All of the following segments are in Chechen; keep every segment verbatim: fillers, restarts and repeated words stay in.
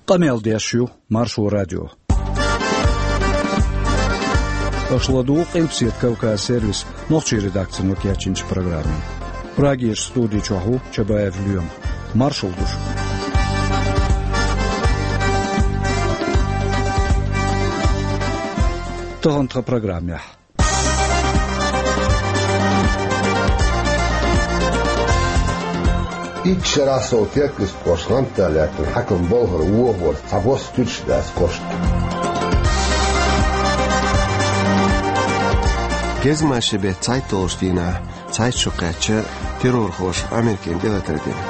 Къамел деш ю Маршо радио. Аша ладугӀу Къилбаседа Кавказ сервисан нохчийн редакцино кечйинчу программе. Прагерчу студи чохь ву Чабаев Лоьма. Маршалла ду шуьга. Тахана тхан программехь. Итт шарахь сов Теркйист кӀоштан гӀантда лаьттина хьаькам Болхара вохаварца цхьа бос туьтуш дац кӀоштан. Гезгмашин беттан цхьайтталгӀачу дийнахь цхьайтта шо кхаьчна террорхоша Америкина тӀелатар дина.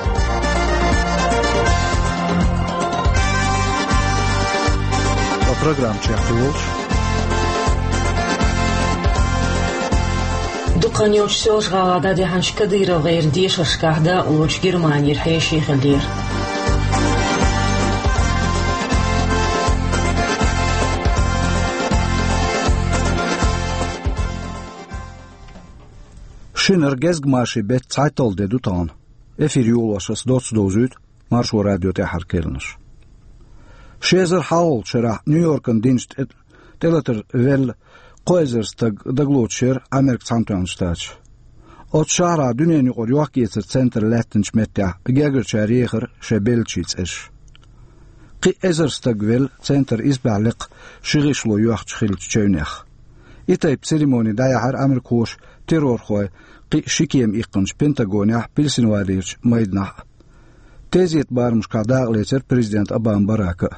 Ткъа программа чекхдолуш. Дукха хан йолчу Соьлжа-ГӀалахь дӀадехьначу Кадыровн дешаршкахь дакъалоцуш Германера хьеший хилира. Шинара Гезгмашин беттан цхьайтталгӀа де ду тахана. Эфир йолош ас доцца довзуьйту Маршо радион тӀаьххьара керланаш. Ши эзар хьалхалгӀачу шарахь Нью-Йоркана динчу тӀе-, тӀелатар велла кхо эзар стаг дагалоцуш яра Америкин Цхьаьнатоьхначу Штаташа. Оцу шахьарахь дуьненаюкъара йохк-эцаран центр лаьттинчу меттехь гергарчара ехара шайн беллачийн цӀераш. Кхин а эзар стаг велла центр исбаьхьа лекха ши гӀишло йоьхча хиллачу чевнех. И тайпа церемони дӀаяьхьира америкахоша террорхой кхин а ши кема иккхинчу Пентагонехь, Пенсильванерчу майданахь а. Тезетан барамашкахь дакъалецира президент Обама Барака а.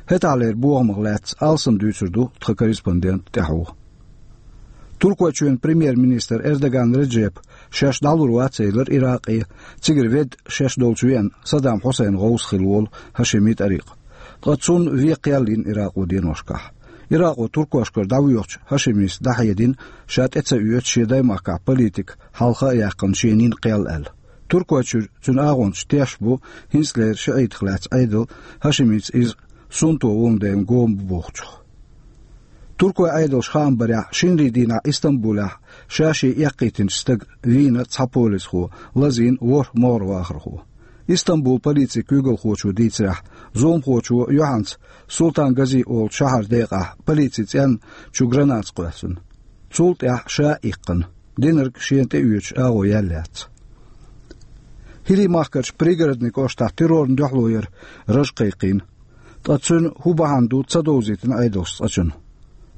ХӀетахьлера бохамах лаьцна алсам дуьйцур ду тхан корреспондентан тӀаьхьо. Туркойчоьнан премьер-министр Эрдоган Реджепа шаьш дӀалур вац элира Иракъе, цигара ведда шаьш долчу веана Саддам Хьусайн гӀовс хилла волу Хьашими ТӀарикъ. Ткъа цунна вен кхел йина Иракъо деношкахь. Иракъо туркошкара дӀавоьдучу Хьашимис дӀахьедина, ша тӀе ца оьцу шен даймахкахь политика хьалха а яьккхина шен нин кхел аьлла. Туркойчуьра цуьнан агӀончаш тешна бу, хӀинцалера шиӀитах лаьцна Ӏедал Хьашимица иза суннато волун дела го ма бу бохучух. Туркойн Ӏедалша хаам барехь, шинарин дийнахь Истамбулехь ша-шен эккхийтинчу стага вийна цхьа полисхо, лазийна ворхӀ могӀара вахархо. Истамбулан полицин куьйгалхочо дийцарехь, зуламхочо юьхьанца Султан Гази олучу шахьаран декъахь полицин цӀенна чу граната кхоьссина. Цул тӀаьхьа ша а иккхина, динарг шена тӀеоьцуш агӀо яьлла яц. ХӀирийн махкарчу Пригородни кӀоштахь террорна дуьхьало яра раж кхайкхийна. Ткъа цуьнан хӀун бахьана ду, ца довзийтина Ӏедалша цкъачунна.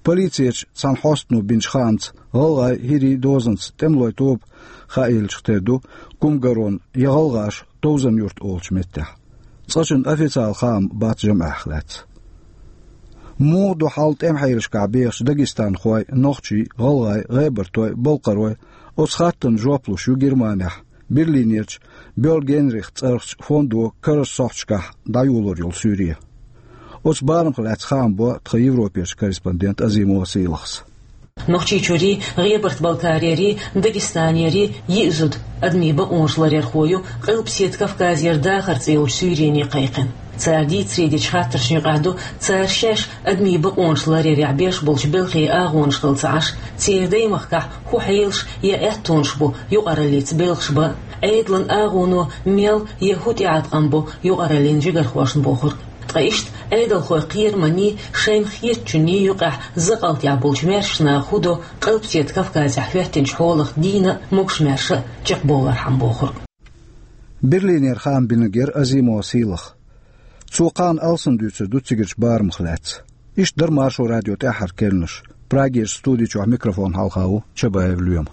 Полицечу цхьана хьостано бинчу хаамца, гӀалгӀайн, хӀирийн дозанца тӀемалойн тоба хаийллачух тера ду Кумгарон я ГӀалгӀаша Товзан-Юрт олучу меттехь. Цкъачунна официалан хаам бац жамӀех лаьцна. Муха ду хьал тӀеман хьелашкахь бехачу дагестанхойн, нохчийн, гӀалгӀайн, гӀебартойн, балкхаройн, оцу хаттарна жоп луш ю Германехь Берлинерчу Бёлл-Генрих цӀарахчу фондо карарчу сохьташкахь дӀайолор йолу суьйре. Оцу барамах лаьцна хаам бо тхан Европерчу корреспондента Азимова Сийлахьас. Нохчийчуьрий, ГӀебарта-Балкарерий, Дагестанерий йиъ зуда адамийн бакъонаш ларъярхой ю Къилбаседа Кавказера дахар цӀе йолчу суьйрене кхайкхина. Цара дийцаре дечу хаттаршна юкъахь ду, цара шаьш адамийн бакъонаш ларъярехь беш болчу белхийн агӀонаш хилла ца Ӏаш, церан даймахкахь хӀун хьелаш я аьттонаш бу юкъараллица белхаш бан, Ӏедалан агӀоно мел я хӀун тӀеӀаткъам бо юкъараллин жигархошна бохург. Ткъа иштта Ӏедалхойн кхераманий, шайна хетачунний юкъахь закъалтехь болчу маьршачу наха хӀун до Къилбаседа Кавказехь хӀоьттинчу хьолах дийна а, могуш-маьрша а чекхбовлархьама бохург. Берлинера хаам бинарг яра Азимова Сийлахь. Цо кхана алсам дуьйцур ду цигарчу барамах лаьцна. Иштта дара Маршо радион тӀаьххьара керланаш. Прагерчу студи чохь микрофон хьалха ву Чабаев Лоьма.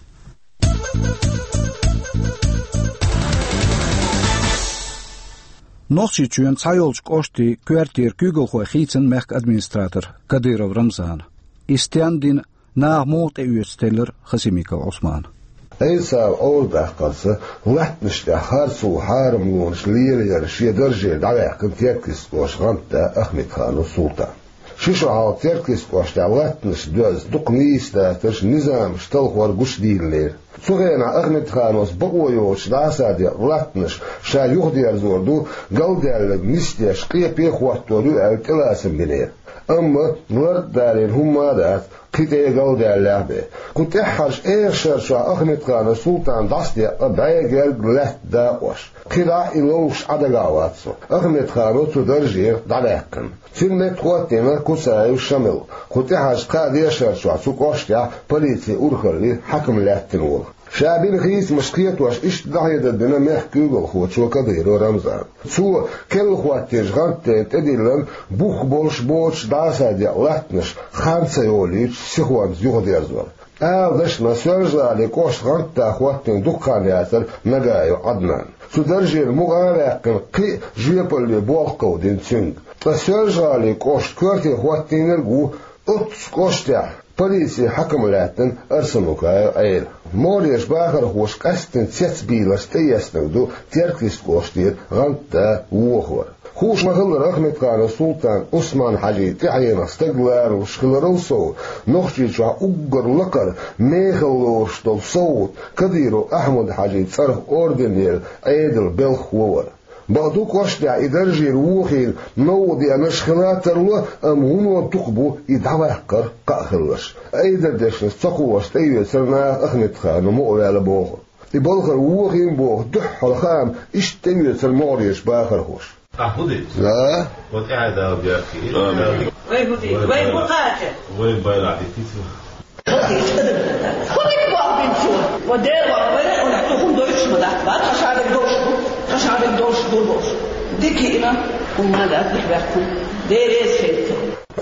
Нохчийчоьнан цхьайолчу кӀоштийн коьртера куьйгалхой хийцина мехкан администратор Кадыров Рамзана. И стенна дина, наха муха тӀеоьцу теллира Хасимиков Ӏусмана. Ӏийсас Ӏовдалчу дахкарца латтанаш тӀехь харцо, хьарамлонаш лелаяра шен даржера дӀаваьккхина Теркйист кӀоштан гӀантда Ахмедханов Султан. Ши шо хьалха Теркйист кӀоштехь латтанаш доьзна дукха нийса дацарш, низамаш талхор гучудийлинера. Цу хенахь Ахмедхановс бакъо йоцуш дӀасадекъна латтанаш ша юхадерзор ду, галдаьлларг нисдеш, къепе а хӀоттор ю аьлла, тӀелацам бинера. Амма лард далийна хӀумма а дац, кхин тӀе а галдаьллехь бен. Кху тӀаьххьарчу эха шарчохь Ахмедханов Султан дӀасадеъна бӀе гергга лаьтта дакъош. КхидӀа а и ловш Ӏа дагахь вац цо. Ахмедханов цу даржера дӀаваьккхина. Цуьнан метта хӀоттийна Куцаев Шамил. Кху тӀаьхьарчу кхаа дешарчохь цу кӀоштехь полицин урхаллин хьаькам лаьттина волу. Ша бина хийцамаш кхетош иштта дӀахьедар дина мехкан куьйгалхочо Кадыров Рамзана. Цо керла хӀоттийначу гӀантдена тӀедиллина бух болуш боцуш дӀасадеъна латтанаш хан ца йолуьйтуш сихонца юхадерзор. Ала дашна, Соьлжа-ГӀалин кӀоштан гӀантда хӀоттийна дукха хан яцара Нагаев Ӏаднан. Цу даржера мукъа а ваьккхина, кхин а жоьпалле болх кховдийна цуьнга. Ткъа Соьлжа-ГӀалин кӀоштан коьрте хӀоттийнарг а ву оццу кӀоштехь полицин хьаькам лаьттина Арсанукаев Ӏела. МогӀарерчу бахархоша къаьсттина цецбийларш тӀеэцнарг ду Теркйист кӀоштера гӀантда вохор. Хууш ма-хиллара, Ахмедханов Султан Усман-Хьаьжин тӀаьхьенах стаг ларалуш хиларал сов, Нохчийчохь уггар лакхара мехала лоруш долу совгӀат Кадыров Ахьмад-Хьаьжин цӀарах орденера Ӏедалан белхахо вара. Бакъду, кӀоштехь и даржера вохийна новкъа деанарш хила а тарло, амма вуно дукха бу и дӀаваккхар кхаъ хилларш. Айдардешнаш ца кхоьхьуш тӀеоьцура наха Ахмедханов мукъаваьлла бохург. И балхара вохийна боху дуьххьара хаам иштта тӀеоьцура могӀарерчу бахархоша. Ахьа хӀун дийца? Да. Вот тӀаьхьа дала бехке. Вай хӀун дийца? Вай хӀун кхача? Вай байракъ дитица. ХӀун дийца? ХӀун дийца боху бинчо? Ва дера вахана, вай хӀун дийца? ХӀун дойтуш ма дац? Ва тхан шадерг долуш ду. Тхан шадерг долуш ду бохуш. Дика йиъна, хӀумма дац, дика баьккхина. Дера эца хӀетта.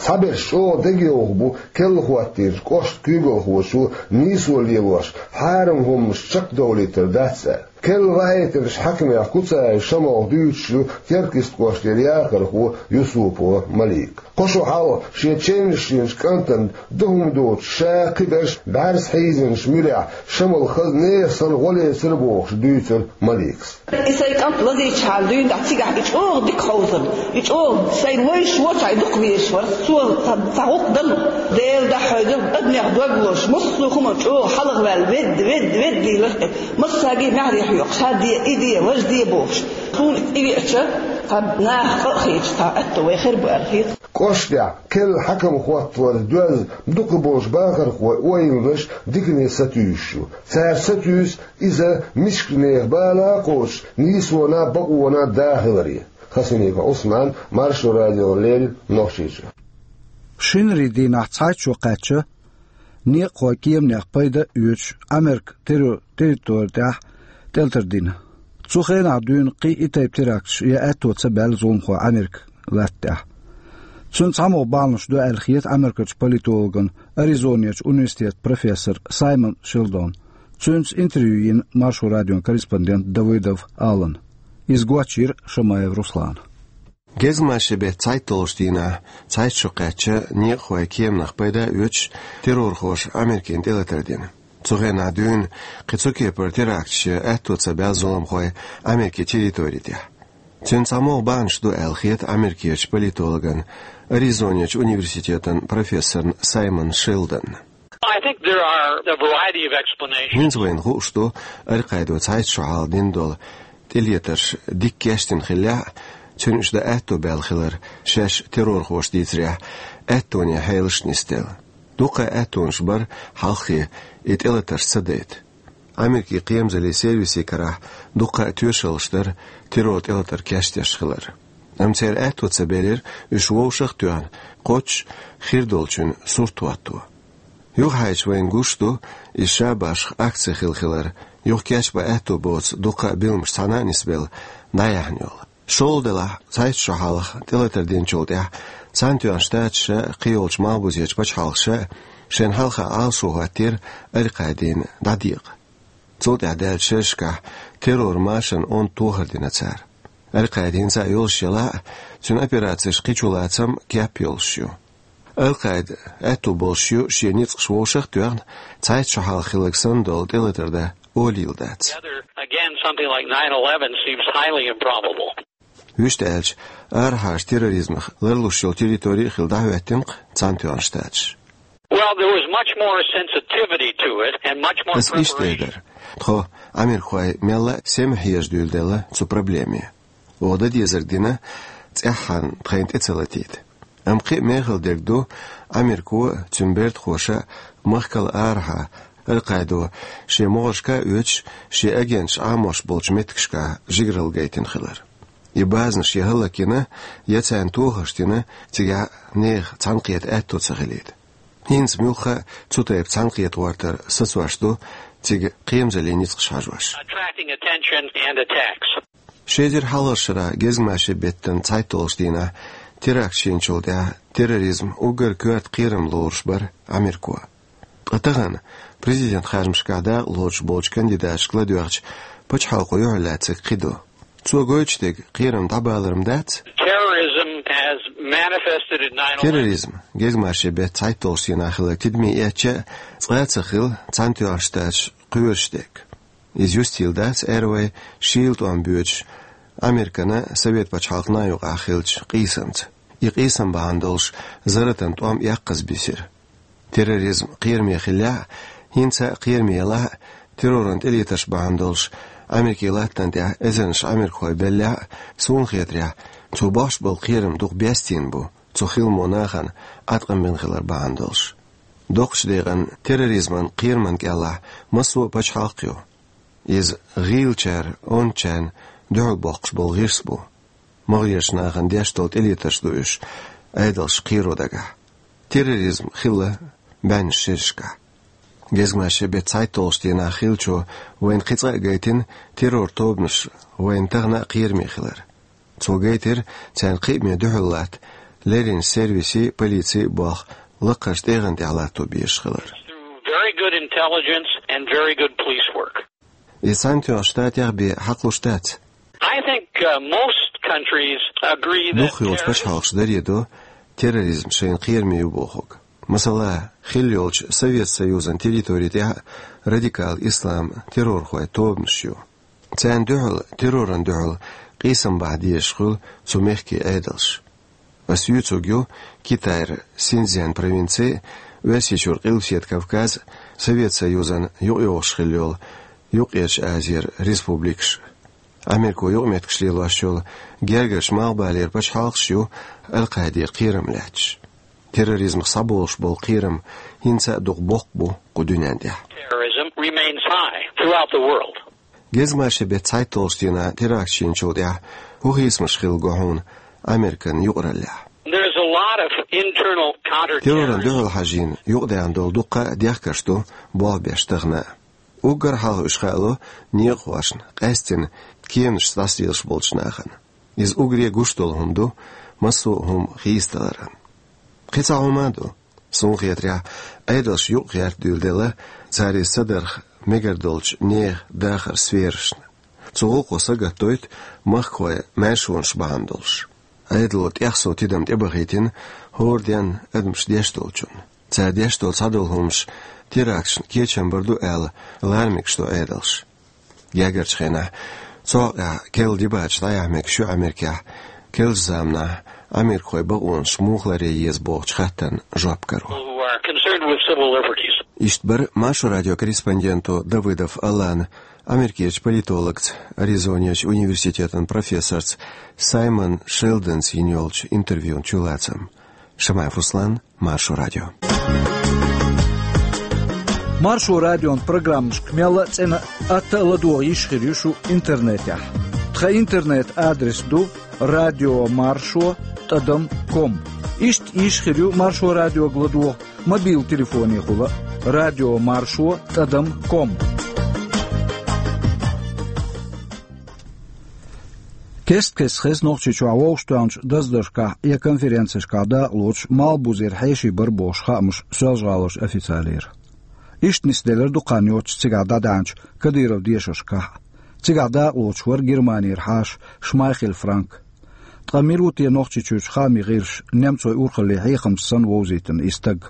Цхьаберш чӀогӀа дегайовхо бу керла хӀоттийначу кӀоштан куьйгалхочо нийсо лелош, хьарам хӀуманаш чекхдовлийтар дац аьлла. Керла ваийтинчу хьаькамех Куцаев Шамилах дуьйцуш ю Теркйист кӀоштера яхархо Юсупова Малика. Кхо шо хьалха шен чевнаш йинчу кӀантана ду хӀума доцуш, ша, кхиберш бӀаьрса хьийзинчу муьрехь Шамил хаза нехан санна гӀо лецира бохуш дуьйцура Маликас. И сайн кӀант лазийчхьана дуьйна тӀехь цигахь и чӀогӀа дика хьовзар, и чӀогӀа сайн вайша воцахь и дукха везаш вара, цо ца, ца гӀуллакх дан. Дела дахьойда, адамех дог лозуш, массо а хӀума чӀогӀа хьалхаваьлла, ведда, ведда, ведда дийлар, массаьрга а маьхьарий хьоькхуш, хӀара де, и де, важа де бохуш. Суна и веача, цхьа наха къа а хеташ, цхьа аьтто вай хир бу аьлла хета. КӀоштехь керла хьаькам хӀотталарца доьзна дукхахболчу бахархойн ойланаш дикане сатуьйсуш ю. Цара сатуьйсу иза мискачу нехан бала а кхочуш, нийсонан а, бакъонан а да хиларе. Хасимиков Ӏусман, Маршо радиона леррина, Нохчийчоь. Шинарин дийнахь цхьайтта шо кхаьчна некъахойн кеманех пайда а оьцуш, Америка террор территори тӀехь тӀелатар дина. Цу хенахь дуьйна кхин а и тайпа теракташ ян аьтто ца баьлла зуламхойн Америка латта тӀехь. Цуьнан цхьамогӀа бахьанаш ду аьлла хета Америкерчу политологна, Аризонерчу университетан профессор Саймон Шелдона. Цуьнца интервью йина Маршо радион корреспондента Давыдов Алана. Иза гочйира Шамаев Руслана. Гезгмашин беттан цхьайтталгӀачу дийнахь цхьайтта шо кхаьчна некъахойн кеманех пайда а оьцуш, террорхоша Америкина тӀелатар дина. Цу хенахь дуьйна кхин цу кепара теракташ ян аьтто ца баьлла зуламхойн Америкин территори тӀехь. Цуьнан цхьамогӀа бахьанаш ду аьлла хета Америкерчу политологна, Аризонерчу университетан профессорна Саймон Шелдонна. I think there are a variety of explanations. ХӀинца вайна хууш ду, Аль-Къаидо цхьайтта шо хьалха дина долу тӀелатарш дика кечдина хиллехь а, цуьнан уьш дан аьтто баьлла хилар шаьш террорхоша дийцарехь аьттонан хьелаш нисделла. Дуккха а аьттонаш бара хьалххе и тӀелатарш ца дайта. Америкин кхерамзаллин сервисийн карахь дуккха а тоьшаллаш дара террор тӀелатар кечдеш хилар. Амма церан аьтто ца баьллера уьш вовшах а тоьхна, кхоччуш хир долчун сурт хӀотто. Юхахьаьжча вайна гуш ду, иза ша башха акци хилла хилар, юха кечбан аьтто боцу дуккха а билламаш цхьаьна а нисбелла, дӀаяьхьна йолу. ШолгӀа делахь, цхьайтта шо хьалха тӀелатар динчул тӀаьхьа Цхьаьнатоьхна Штаташа а, кхийолчу малхбузерчу пачхьалкхаша а шайна хьалха Ӏалашо хӀоттийра Аль-Къаидина дӀадекъа. Цул тӀаьхьа даьллачу шерашкахь террор машанан онда тохар дина цара. Аль-Къаида хӀинца а йолуш елахь а, цуьнан операцеш кхин чулацам кеп йолуш ю. Аль-Къаида аьтто болуш ю шен ницкъаш вовшах а тоьхна, цхьайтта шо хьалха хилларг санна долу тӀелатар дан олийла дац. Again, something like nine eleven seems highly improbable. Вуьшта аьлча, арахьарчу терроризмах ларлуш йолу территори а хилла дӀахӀоьттина-кх Цхьаьнатоьхна Штаташ. Well, there was much more sensitivity to it and much more preparation. Аса иштта эр дара: тхо, америкахой, мелла а сема хьежа дуьйладелла цу проблеме. Оха дан дезарг дина, цӀеххьана тхайна тӀе ца латийта. Амма кхин а мехала дерг ду, Америко а, цуьнан бертахоша а махкал арахьа Ал-Къаидо шен могӀаршка а оьцуш, шен агенташ Ӏамош болчу меттигашкахь жигаралла гайтина хилар. И базанаш я хӀаллакйина, я царна тохарш дина, цигахь нехан цхьаьнакхета аьтто ца хилийта. ХӀинца муьлхха а цу тайпа цхьаьнакхета гӀортар сацош ду цига кхерамзаллин ницкъаш хьажош. Attracting attention and attacks. Ши эзар хьалхарчу шарахь гезгмашин беттан цхьайтталгӀачу дийнахь теракташ йинчул тӀаьхьа терроризм уггар коьрта кхерам лоруш бара Америко. Ткъа тахана президент харжамашкахь дакъа лоцуш болчу кандидаташка ладоьгӀча пачхьалкхо юьхьарлаьцнарг кхин ду. Цо гойтуш дерг кхерам дӀабалар-м дац? Terrorism has manifested in nine eleven. Терроризм гезгмашин беттан цхьайтталгӀачу дийнахь хилларг тидаме эцча а цкъа а ца хилла Цхьаьнатоьхначу Штаташ кхоьруш дерг. Иза юстийла дац, аьлла вай, шийла тӀом боьдуш Американа Совет пачхьалкхана юкъахь хиллачу къийсамца. И къийсам бахьана долуш зарратан тӀом эккхаза бисира. Терроризм кхераме хиллехь а, хӀинца а кхераме елахь а, терроран тӀелетарш бахьана долуш Америкин латтана тӀехь эзарнаш америкахой беллехь а, суна хетарехь, цо бохуш болу кхерам дукха бестийна бу, цу хиламо нахана Ӏаткъам бина хилар бахьана долуш. Доккхачу декъана терроризман кхераман кӀелахь массо а пачхьалкх ю. Иза гӀийлачара ончарна дуьхьал боккхуш болу гӀирс бу. МагӀарерчу нахана деш долу тӀелетарш ду уьш, Ӏедалш кхеро дагахь. Терроризм хилла бӀеннаш шерашкахь. Гезгмашин беттан цхьайтталгӀачу дийнахь хиллачо вайна кхин цкъа а гайтина, террор тобанаш вайна тахана а кхераме хилар. Цо гайтира, царна кхиаме дуьхьал латта леррина сервисийн а, полицин а болх лакхарчу тӀегӀан тӀехь латто безаш хилар. Very good intelligence and very good police work. Иза Цхьаьнатоьхначу Штатех бен хьакхалуш дац? I think, uh, most countries agree that... Дукхахйолчу пачхьалкхаша даре до терроризм шайна кхераме ю бохург. Масала, хилла йолчу Совет Союзан территори тӀехь а радикал ислам террорхойн тобанаш ю. Царна дуьхьал терроран дуьхьал къийсам бахьа дезаш хуьлу цу мехкийн Ӏедалш. Ас юьйцург ю Китайра Синьцзян провинци а, Оьрсийчуьра Къилбаседа Кавказ а, Совет Союзан юкъайогӀуш хилла йолу Юккъерчу Азера республикаш а. Америко юкъаметтигаш лелош йолу гергарчу малхбалера пачхьалкхаш ю Ал-Къаидера кхерам лаьтташ. Терроризмах схьаболуш болу кхерам хӀинца а дукха боккха бу кху дуьнен тӀехь. Terrorism remains high throughout the world. Гезгмашин беттан цхьайтталгӀачу дийнахь теракташ йинчул тӀаьхьа хӀун хийцамаш хилла го хьуна Американ юкъараллехь? There's a lot of internal counter... Терроран дуьхьал хьажийна юкъадаьхна долу дуккха а дехкарш ду болх беш тахана а. Уггар хьалха уьш хаало некъахошна, къаьсттина кеманашца дӀасалелаш болчу нахана. Иза уггаре гуш долу хӀума ду массо а хӀума хийцадаларан. Кхин цхьа хӀума а ду. Суна хетарехь, Ӏедалш юкъа гӀерта дуьйладелла цара иза ца дарх мегар долчу нехан дахаран сферашна. Цу гӀуллакхо сагатдойту махкахойн маьршонаш бахьана долуш. Ӏедало тӀехсо тидам тӀебахийтина хӀора денна адамаша деш долчунна. Цара деш долу цхьадолу хӀуманаш теракташна кечам бар ду аьлла, лара мегаш ду Ӏедалш. Гергарчу хенахь цу хьокъехь керла дебаташ дӀаяхьа мегаш ю Америкехь, керлачу заманахь америкахойн бакъонаш муха ларъе еза бохучу хаттарна жоп каро. Who are concerned with civil liberties. Иштта бара Маршо радион корреспонденто Давыдов Алана Америкерчу политологца, Аризонерчу университетан профессорца Саймон Шелдонца йина йолчу интервьюн чулацам. Шамаев Руслан, Маршо радио. Маршо радион программашка мелла а цӀена а, атта а ладогӀа йиш хир ю шу интернетехь. Тхан интернет-адрес ду радио маршо тӀадам ком. Иштта йиш хир ю Маршо радиога ладогӀа мобил телефонехула, радио маршо тӀадам ком. Кест-кеста хеза Нохчийчохь вовшахтоьхначу даздаршкахь я конференцешкахь дакъа лоцуш малхбузера хьеший бара бохуш хаамаш Соьлжа-ГӀаларчу официалера. Иштта нисделира дукха хан йоццуш цигахь дӀадаьхьначу Кадыровн дешаршкахь а. Цигахь дакъа лоцуш вара Германера хьаша Шмайхель Франк. Ткъа мила ву те Нохчийчуьрчу хаамийн гӀирсаша немцойн урхаллин хьехамца санна вовзийтина и стаг,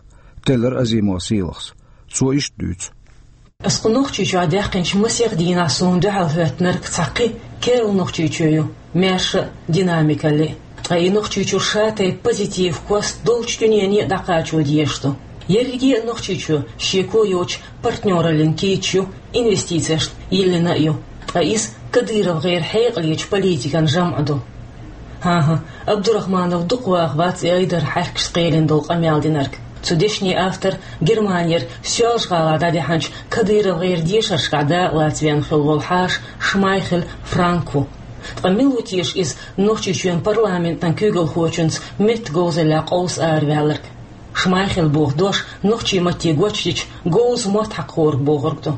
теллира Азимова Сийлахьас. Цо иштта дуьйцу. Ас кху Нохчийчохь даьккхинчу масех дийнахь суна дуьхьал хӀоьттинарг цхьа кхин керла Нохчийчоь ю, маьрша а, динамикалли а. Ткъа и Нохчийчуьра шатайпа позитив кост долчу дуьнене а дӀакхачо дезаш ду. Ерриге а Нохчийчоь шеко йоцчу партнёраллин кийча ю, инвестицешна йиллина а ю. Ткъа иза КадыровгӀеран хьекъалечу политикан жамӀ ду. ХӀан-хӀа, Абдурахманов дукха ваха вац и айдарахьаьркашца кхелина долу къамел динарг. Цу дешнийн автор Германера Соьлжа-ГӀалахь дӀадихьанчу КадыровгӀеран дешаршкахь дакъалаца веана хилла волу хьаша Шмайхель Франк ву. Ткъа мила ву теша иза Нохчийчоьнан парламентан куьйгалхочуьнца меттан говзаллехь къовса араваьлларг? Шмайхель боху дош нохчийн матте гочдича, говза мотт хьакхориг бохург ду.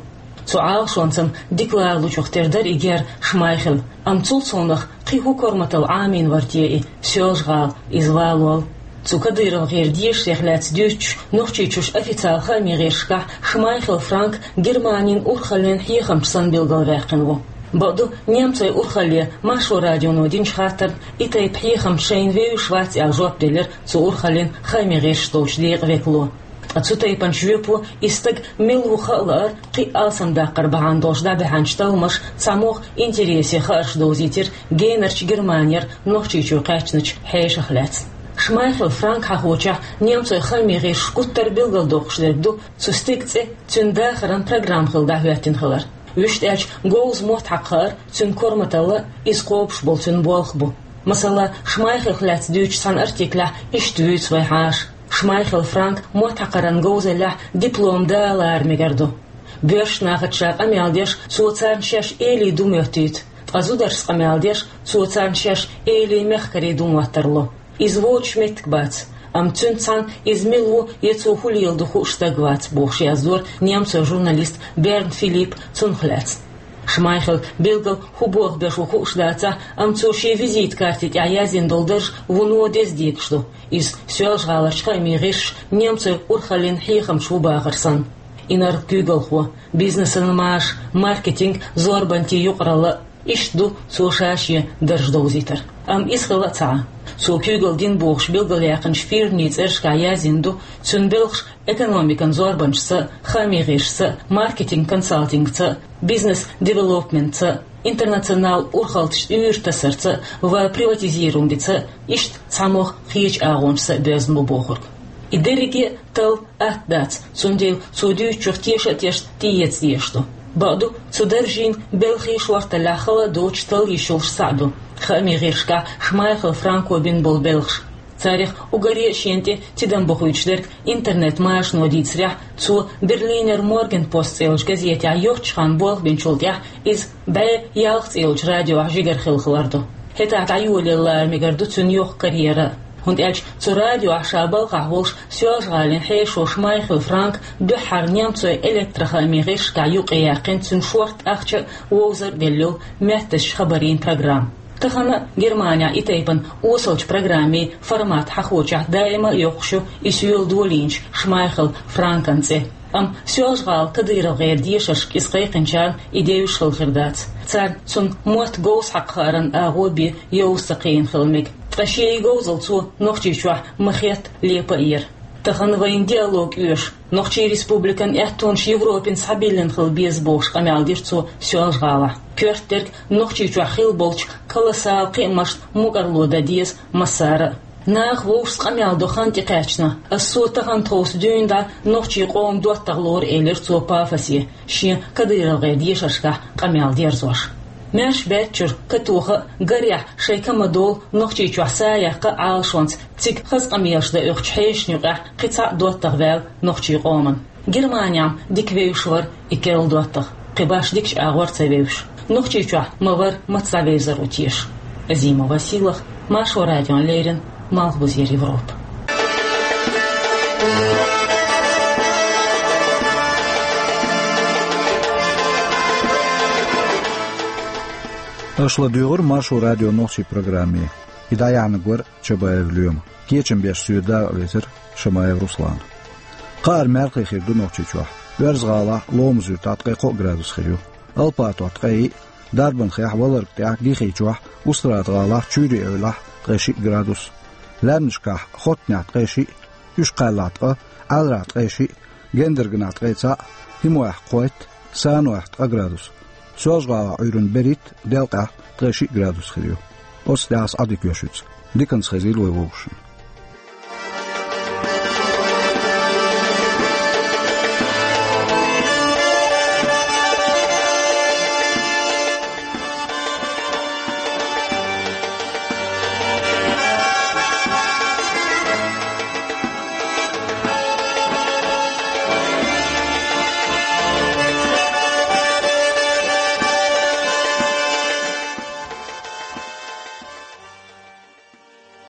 Цу Ӏалашонца-м дика ларалучух тера дара и гер Шмайхель, амма цул совнах кхин хӀун корматалла Ӏамийна вара те и Соьлжа-ГӀала, иза валол? Цу КадыровгӀеран дешарех лаьцна дуьйцуш, Нохчийчуьра официалан хаамийн гӀирсашкахь Шмайхель Франк Германин урхаллин хьехамча санна билгалваьккхина ву. Бакъду, немцойн урхалле Маршо радионо динчу хаттарна и тайпа хьехамча шайна вевзаш вац аьлла жоп делира цу урхаллин хаамийн гӀирсаш долчу декъан векало. Ткъа цу тайпанчу жоьпо и стаг мила ву хаа лаар кхин а алсамдаккхар бахьана долуш дӀабаьхьначу талламаша цхьамогӀа интересийн хаарш довзийтира генарчу Германера Нохчийчу кхаьчначу хьешах лаьцна. Шмайхель Франк хьахочехь, немцойн хаамийн гӀирсаша гуттар а билгалдоккхуш дерг ду цу стеган цӀе цуьнан дахаран программа хилла дӀахӀоьттина хилар. Вуьшта аьлча, говза мотт хьакха хаар цуьнан корматалла, иза кхобуш болу цуьнан болх бу. Масала, Шмайхелех лаьцна дуьйцучу цхьана артиклехь иштта вуьйцу вай хьаша: Шмайхель Франк мотт хьакхаран говзаллехь диплом далара мегар ду. Боьрша нахаца ша къамел деш, цо царна шаьш эли ду моьттуьйту, ткъа зударшца къамел деш, цо царна шаьш эли мехкарий ду моттар ло. Иза воцуш меттиг бац, амма цуьнца цхьаьна иза мила ву я цо хӀун леладо хууш стаг вац, бохуш яздора немцойн журналиста Берн Филиппа цунах лаьцна. Шмайхель билггал хӀун болх беш ву хууш дацахь, амма цо шен визитан карти тӀехь яздина долу дарж вуно деза декаш ду. Иза Соьлжа-ГӀаларчу хаамийн гӀирсаша немцойн урхаллин хьехамча ву бахар санна. Инарла-куьйгалхо, бизнесан маша, маркетинг, зорбанан юкъаралла, иштта ду цо ша-шен дарж довзийтар. Амма иза хилла а ца Ӏа. Цо куьйгалла дина бохуш билгалъяьккхинчу фирмийн цӀерашкахь яздина ду цуьнан белхаш экономикан зорбанашца, хаамийн гӀирсашца, маркетинг-консалтингца, бизнес-девелопментца, интернационал урхалташна уьйр тасарца ва приватизируемица, иштта цхьамогӀа кхечу агӀонашца а боьзна бу бохург. И дерриге а талла атта дац, цундела цо дуьйцучух теша а тешна тӀеэца дезаш ду. Бакъду, цу даржийн белхий шорталлехь хала а доцуш талла йиш йолуш схьа а ду хаамийн гӀирсашкахь Шмайхель Франко бина болу белхаш. Царах уггаре а шена тӀе тидам бохуьйтуш дерг интернет-машано дийцарехь, цо Берлинер Моргенпост цӀе йолчу газетехь йоццачу ханна болх бинчул тӀаьхьа иза бӀе ялх цӀе йолчу радиохь жигара хилла хилар ду. ХӀетахь дӀайолаялла мегар ду цуьнан йоккха карьера а. ХӀунда аьлча цу радиохь ша балхахь волуш Соьлжа-ГӀалин хьешо Шмайхель Франк дуьххьара немцойн электрохаамийн гӀирсашкахь юкъаяьккхина цуьнан шортта ахча а, вовзар а делла йолу маьттазчу хабарийн программа. Тахана а Германехь и тайпана осалчу программийн формат хьахочехь даима а йоккхуш ю и соьла долийначу Шмайхель Франкан цӀе. Амма Соьлжа-ГӀала КадыровгӀеран дешаршка иза кхайкхинчарна и девзаш хилла хир дац. Царна цуьнан мотт говза хьакха хааран агӀо бен йовза ца кхиийна хила мега. Ткъа шен и говзалла цо Нохчийчохь ма-хетта лепа а йира. Тахана вайна диалог оьшу, Нохчийн Республикан аьттонаш Европина схьабиллина хила беза бохуш къамел дира цо Соьлжа-ГӀалахь. Коьрта дерг Нохчийчохь хилла болчу колоссал кхиамашна мукӀарло дан деза массара а. Наха вовшашца къамел до хан тӀекхаьчна, ас цо тахана тховса дуьйна дӀа нохчийн къоман доттагӀа лору, элира цо пафосе, шен КадыровгӀеран дешаршкахь къамел дерзош. Маьрша баьччуьра, катоха а, гарехь шайн ка ма-доллу Нохчийчохь са яккха а Ӏалашонца цига хаза къамелаш дан оьхучу хьешашна юкъахь кхин цхьа а доттагӀа ваьлла нохчийн къоман. Германехь-м дика вевзаш вара и керла доттагӀа, кхин башха дикачу агӀор ца вевзаш. Нохчийчохь ма вара, маца дӀавевзар ву теша. Азима Василах, Маршо радиона леррина, Малхбузера Европа. Аша ладуьйгӀира Маршо радион нохчийн программе. И дӀаяьхьнарг вара Чабаев Лоьма. Кечам беш соьга дакъа везара Шамаев Руслан. Кхааран мел хир ду Нохчийчохь. Оьрза-ГӀалахь, Ломаз-Юьртахь ткъе кхоъ градус хир ю. Алпатохь ткъе йиъ, Дарбанхехь, Валарга тӀехь, Гихечохь, Устрада-ГӀалахь, Чуьйре-Эвлахь ткъе шиъ градус. Лаьмнашкахь, Хоттанехь ткъе шиъ, Уьшкхаьллахь ткъа, Ӏаьларахь ткъе шиъ, Гендарганахь ткъе цхьаъ, ХӀимойхь кхойтта, Санойхь ткъа градус. Соьлжа-ГӀалахь Ӏуьйранна берхӀитта, Делкъехь ткъе шиъ градус хир ю. Оццу тӀехь ас Ӏадика йоьшу. Диканца хезийла вай вовшашна.